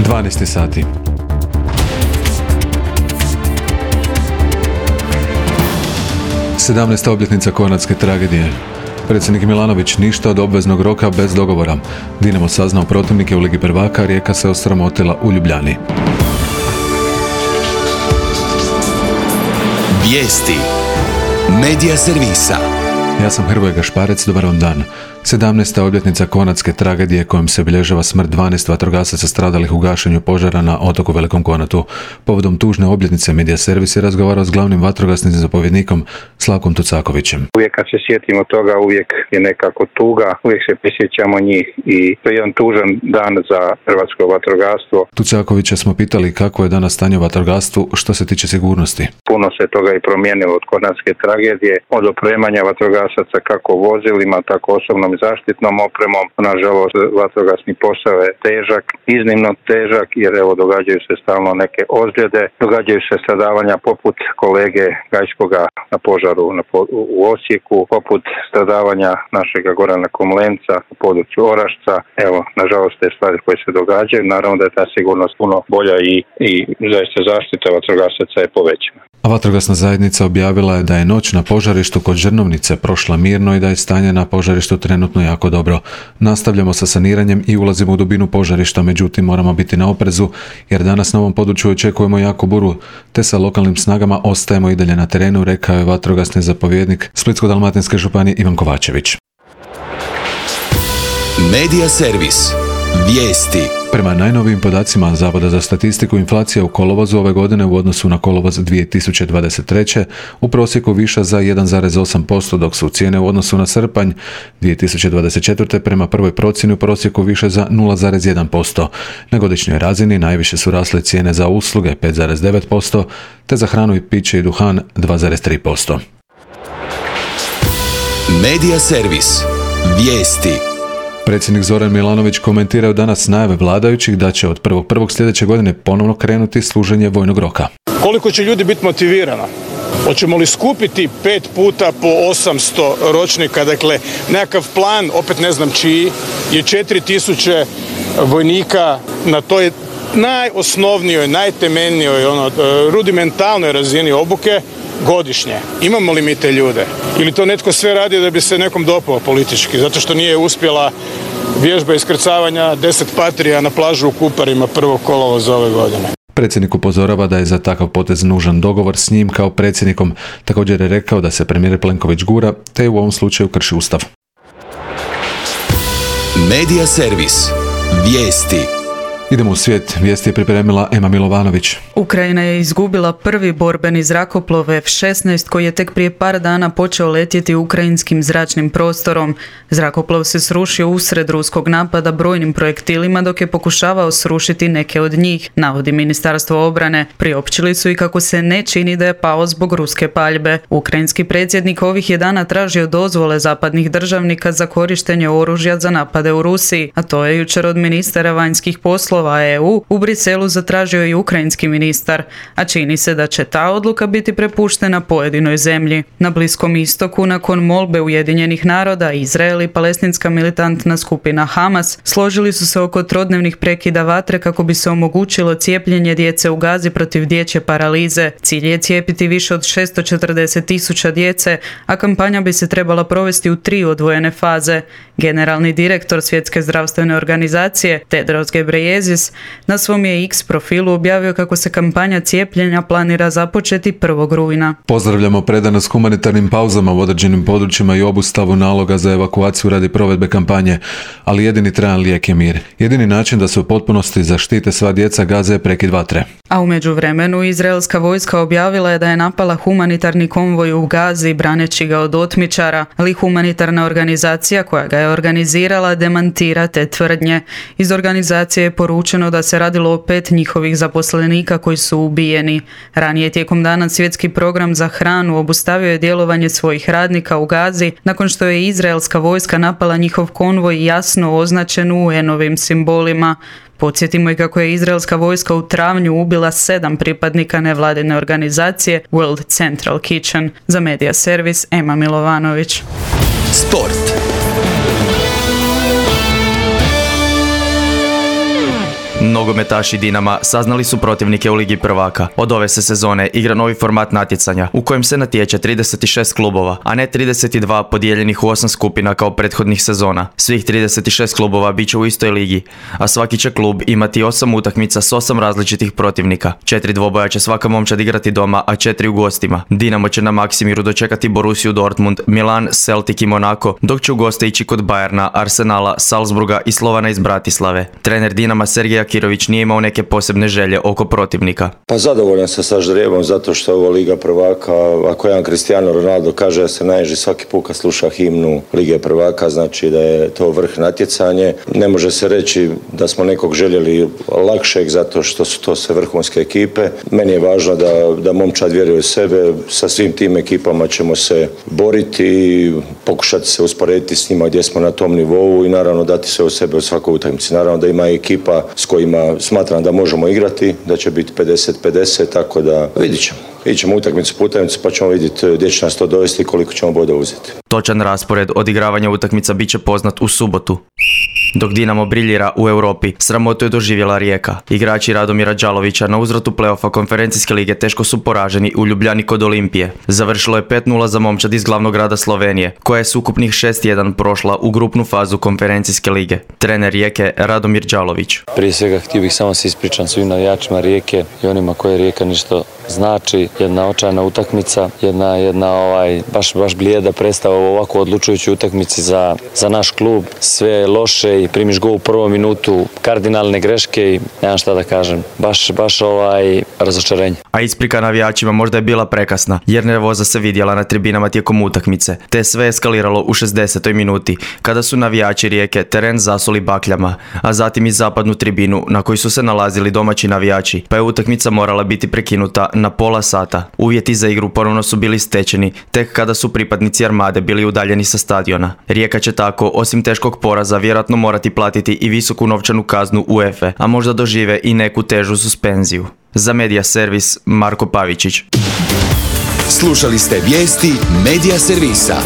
12 sati. Sedamnaesta obljetnica Kornatske tragedije. Predsjednik Milanović ništa od obveznog roka bez dogovora. Dinamo saznao protivnike u Ligi prvaka, Rijeka se osramotila u Ljubljani. Vijesti Medija servisa. Ja sam Hrvoje Gašparec, dobar vam dan. 17. obljetnica Kornatske tragedije kojom se obilježava smrt 12 vatrogasaca stradalih u gašenju požara na otoku Velikom Kornatu. Povodom tužne obljetnice Medija servis je razgovarao s glavnim vatrogasnim zapovjednikom Slavkom Tucakovićem. Uvijek kad se sjetimo toga, uvijek je nekako tuga, uvijek se prisjećamo njih i to je jedan tužan dan za hrvatsko vatrogastvo. Tucakovića smo pitali kako je danas stanje u vatrogastvu što se tiče sigurnosti. Puno se toga i promijenilo od Kornatske tragedije, od opremanja vatrogasaca kako vozilima, tako osobnom zaštitnom opremom. Nažalost, vatrogasni posao je težak, iznimno težak, jer evo događaju se stalno neke ozljede, događaju se stradavanja poput kolege Gajskoga na požaru u Osijeku, poput stradavanja našega Gorana Komlenca u području Orašca. Evo, nažalost, te stvari koje se događaju, naravno da je ta sigurnost puno bolja i zaista zaštita vatrogasaca je povećana. A vatrogasna zajednica objavila je da je noć na požarištu kod Žrnovnice prošla mirno i da je stanje na požarištu trenutno jako dobro. Nastavljamo sa saniranjem i ulazimo u dubinu požarišta, međutim moramo biti na oprezu jer danas na ovom području očekujemo jaku buru, te sa lokalnim snagama ostajemo i dalje na terenu, rekao je vatrogasni zapovjednik Splitsko-dalmatinske županije Ivan Kovačević. Medija servis. Vijesti. Prema najnovijim podacima Zavoda za statistiku, inflacija u kolovozu ove godine u odnosu na kolovoz 2023. u prosjeku viša za 1,8%, dok su cijene u odnosu na srpanj 2024. prema prvoj procjeni u prosjeku više za 0,1%. Na godišnjoj razini najviše su rasle cijene za usluge 5,9%, te za hranu i piće i duhan 2,3%. Medija servis. Vijesti. Predsjednik Zoran Milanović komentirao danas najave vladajućih da će od 1.1. sljedeće godine ponovno krenuti služenje vojnog roka. Koliko će ljudi biti motivirano? Hoćemo li skupiti 5 puta po 800 ročnika, dakle nekakav plan, opet ne znam čiji, je 4000 vojnika na toj najosnovnijoj, najtemeljnijoj, rudimentalnoj razini obuke godišnje. Imamo li mi te ljude? Ili to netko sve radi da bi se nekom dopao politički, zato što nije uspjela vježba iskrcavanja 10 patrija na plažu u Kuparima 1. kolovoza ove godine. Predsjednik upozorava da je za takav potez nužan dogovor s njim kao predsjednikom. Također je rekao da se premijer Plenković gura, te u ovom slučaju krši ustav. Medija servis. Vijesti. Idemo u svijet. Vijesti je pripremila Ema Milovanović. Ukrajina je izgubila prvi borbeni zrakoplov F-16 koji je tek prije par dana počeo letjeti ukrajinskim zračnim prostorom. Zrakoplov se srušio usred ruskog napada brojnim projektilima dok je pokušavao srušiti neke od njih, navodi Ministarstvo obrane. Priopćili su i kako se ne čini da je pao zbog ruske paljbe. Ukrajinski predsjednik ovih je dana tražio dozvole zapadnih državnika za korištenje oružja za napade u Rusiji, a to je jučer od ministara vanjskih poslova EU u Briselu zatražio i ukrajinski ministar, a čini se da će ta odluka biti prepuštena pojedinoj zemlji. Na Bliskom istoku, nakon molbe Ujedinjenih naroda, Izrael i palestinska militantna skupina Hamas složili su se oko trodnevnih prekida vatre kako bi se omogućilo cijepljenje djece u Gazi protiv dječje paralize. Cilj je cijepiti više od 640.000 djece, a kampanja bi se trebala provesti u 3 odvojene faze. Generalni direktor Svjetske zdravstvene organizacije Tedros Ghebreyesus na svom je X profilu objavio kako se kampanja cijepljenja planira započeti 1. rujna. Pozdravljamo predanost humanitarnim pauzama u određenim područjima i obustavu naloga za evakuaciju radi provedbe kampanje, ali jedini trajan lijek je mir. Jedini način da se u potpunosti zaštite sva djeca Gaze je prekid vatre. A u međuvremenu izraelska vojska objavila je da je napala humanitarni konvoj u Gazi braneći ga od otmičara, ali humanitarna organizacija koja ga je organizirala demantira te tvrdnje. Iz organizacije je poručeno da se radilo o 5 njihovih zaposlenika koji su ubijeni. Ranije tijekom dana Svjetski program za hranu obustavio je djelovanje svojih radnika u Gazi nakon što je izraelska vojska napala njihov konvoj jasno označen UN-ovim simbolima. Podsjetimo i kako je izraelska vojska u travnju ubila 7 pripadnika nevladine organizacije World Central Kitchen. Za Medija servis Ema Milovanović. Sport. nogometaši Dinama saznali su protivnike u Ligi prvaka. Od ove se sezone igra novi format natjecanja u kojem se natječe 36 klubova, a ne 32 podijeljenih u 8 skupina kao prethodnih sezona. Svih 36 klubova bit će u istoj ligi, a svaki će klub imati 8 utakmica s 8 različitih protivnika. 4 dvoboja će svaka momčad igrati doma, a 4 u gostima. Dinamo će na Maksimiru dočekati Borussiju Dortmund, Milan, Celtic i Monaco, dok će u goste ići kod Bayerna, Arsenala, Salzburga i Slovana iz Bratislave. Trener Dinama Sergej Akirović nije imao neke posebne želje oko protivnika. Pa zadovoljan sam sa ždrijebom zato što je ovo Liga prvaka. Ako jedan Cristiano Ronaldo kaže da se naježi svaki put kad sluša himnu Lige prvaka, znači da je to vrh natjecanje. Ne može se reći da smo nekog željeli lakšeg zato što su to sve vrhunske ekipe. Meni je važno da momčad vjeruje u sebe. Sa svim tim ekipama ćemo se boriti i pokušati se usporediti s njima gdje smo na tom nivou i naravno dati sve u sebe u svakoj utakmici. Naravno da ima ekipa s kojima smatram da možemo igrati, da će biti 50-50, tako da vidit ćemo. Ićemo utakmicu po utakmicu pa ćemo vidjeti gdje će nas to dovesti i koliko ćemo boda uzeti. Točan raspored odigravanja utakmica bit će poznat u subotu. Dok Dinamo briljira u Europi, sramotu je doživjela Rijeka. Igrači Radomira Đalovića na uzvratu play-offa konferencijske lige teško su poraženi u Ljubljani kod Olimpije. Završilo je 5-0 za momčad iz glavnog grada Slovenije, koja je s ukupnih 6-1 prošla u grupnu fazu konferencijske lige. Trener Rijeke Radomir Đalović. Prije svega htio bih samo se ispričam svim navijačima Rijeke i onima koje Rijeka nešto znači. Jedna očajna utakmica, jedna baš blijeda predstava u ovako odlučujućoj utakmici za naš klub. Sve je loše i primiš gol u prvom minutu, kardinalne greške i nemam šta da kažem. Baš razočarenje. A isprika navijačima možda je bila prekasna, jer nervoza se vidjela na tribinama tijekom utakmice. Te sve eskaliralo u 60. minuti, kada su navijači Rijeke teren zasuli bakljama, a zatim i zapadnu tribinu na kojoj su se nalazili domaći navijači, pa je utakmica morala biti prekinuta na pola sata. Uvjeti za igru ponovno su bili stečeni, tek kada su pripadnici Armade bili udaljeni sa stadiona. Rijeka će tako, osim teškog poraza, vjerojatno morati platiti i visoku novčanu kaznu UEFA, a možda dožive i neku težu suspenziju. Za Media Servis, Marko Pavičić. Slušali ste vijesti Media Servisa.